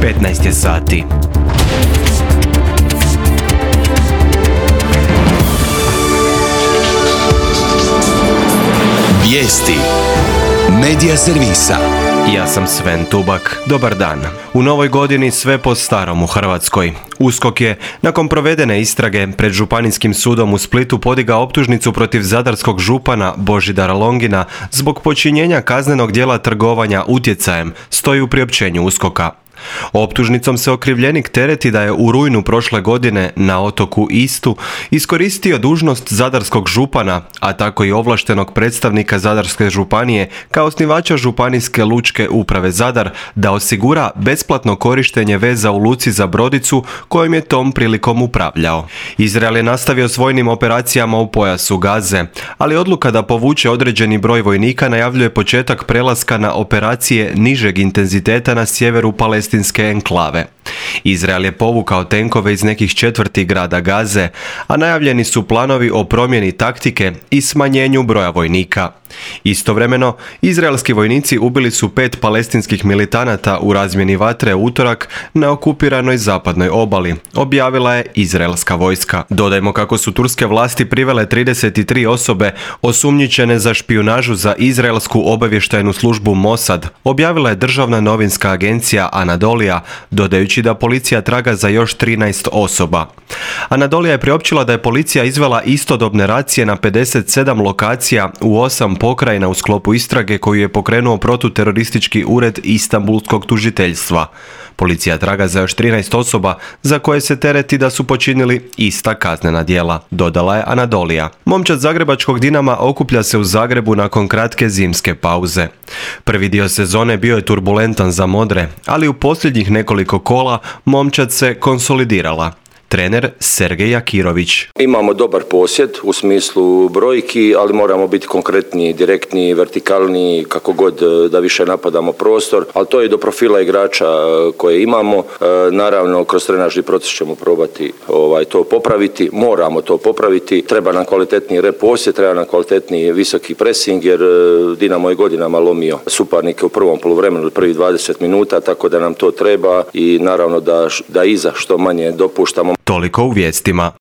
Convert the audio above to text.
15 je sati. Vijesti Medija servisa. Ja sam Sven Tubak. Dobar dan. U novoj godini sve po starom u Hrvatskoj. USKOK je, nakon provedene istrage pred Županijskim sudom u Splitu, podigao optužnicu protiv zadarskog župana Božidara Longina zbog počinjenja kaznenog djela trgovanja utjecajem, stoji u priopćenju USKOK-a. Optužnicom se okrivljenik tereti da je u rujnu prošle godine na otoku Istu iskoristio dužnost zadarskog župana, a tako i ovlaštenog predstavnika Zadarske županije kao osnivača Županijske lučke uprave Zadar da osigura besplatno korištenje veza u luci za brodicu kojom je tom prilikom upravljao. Izrael je nastavio s vojnim operacijama u pojasu Gaze, ali odluka da povuče određeni broj vojnika najavljuje početak prelaska na operacije nižeg intenziteta na sjeveru Palestinske enklave. Izrael je povukao tenkove iz nekih četvrti grada Gaze, a najavljeni su planovi o promjeni taktike i smanjenju broja vojnika. Istovremeno, izraelski vojnici ubili su 5 palestinskih militanata u razmjeni vatre u utorak na okupiranoj zapadnoj obali, objavila je izraelska vojska. Dodajmo kako su turske vlasti privele 33 osobe osumnjičene za špijunažu za izraelsku obavještajnu službu Mossad, objavila je državna novinska agencija Anadolija, dodajući da policija traga za još 13 osoba. Anadolija je priopćila da je policija izvela istodobne racije na 57 lokacija u 8 pokrajina u sklopu istrage koju je pokrenuo protuteroristički ured Istanbulskog tužiteljstva. Policija traga za još 13 osoba za koje se tereti da su počinili ista kaznena djela, dodala je Anadolija. Momčad zagrebačkog Dinama okuplja se u Zagrebu nakon kratke zimske pauze. Prvi dio sezone bio je turbulentan za modre, ali u posljednjih nekoliko kola momčad se konsolidirala. Trener Sergej Jakirović. Imamo dobar posjed u smislu brojki, ali moramo biti konkretniji, direktniji, vertikalniji, kako god da više napadamo prostor, ali to je do profila igrača koje imamo. Naravno, kroz trenažni proces ćemo probati to popraviti, moramo to popraviti. Treba nam kvalitetniji posjed, treba nam kvalitetniji visoki pressing, jer Dinamo je godinama lomio suparnike u prvom poluvremenu, prvih 20 minuta, tako da nam to treba i naravno da iza što manje dopuštamo. Toliko u vijestima.